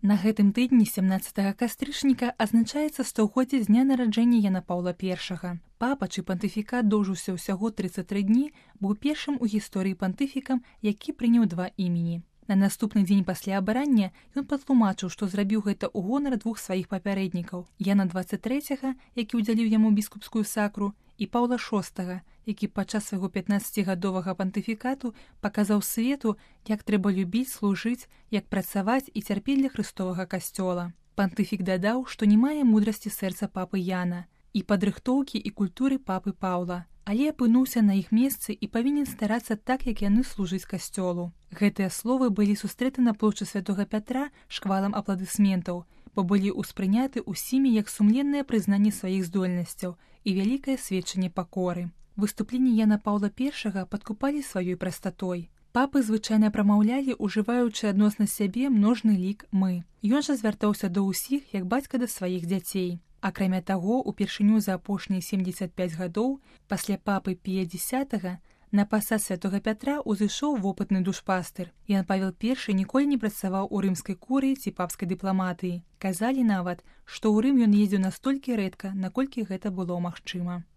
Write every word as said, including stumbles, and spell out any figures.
На гэтым тыдні сямнаццатага кастрычніка адзначаецца стагоддзе з дня нараджэння Яна Паўла першага. Папа, чый пантыфікат доўжыўся ўсяго трыццаць тры дні, быў першым у гісторыі пантыфікам, які прыняў два імені. На наступны дзень пасля абрання ён патлумачыў, што зрабіў гэта ў гонар двух сваіх папярэднікаў – Яна дваццаць трэцяга, які ўдзяліў яму біскупскую сакру, і Паўла шостага, які падчас свайго пятнаццацігадовага пантыфікату паказаў свету, як трэба любіць, служыць, як працаваць і цярпець для Хрыстовага касцёла. Пантыфік дадаў, што не мае мудрасці сэрца папы Яна і падрыхтоўкі і культуры папы Паўла, але апынуўся на іх месцы і павінен старацца так, як яны служыць касцёлу. Гэтыя словы былі сустрэты на плошчы Святога Пятра шквалам апладысментаў, бо былі ўспрыняты ўсімі як сумленнае прызнанне сваіх здольнасцяў і вялікае сведчанне пакоры. Выступленні Яна Паўла першага падкупалі сваёй прастатой. Папы звычайна прамаўлялі, ужываючы адносна сябе множны лік «мы». Ён жа звяртаўся да ўсіх як бацька да сваіх дзяцей. Акрамя таго, упершыню за апошнія семдзесят пяць гадоў, пасля папы Пія дзесятага, на пасад Святога Пятра ўзышоў вопытны душпастыр. Ян Павел першы ніколі не працаваў у рымскай курыі ці папскай дыпламатыі. Казалі нават, што ў Рым ён ездзіў настолькі рэдка, наколькі гэта было магчыма.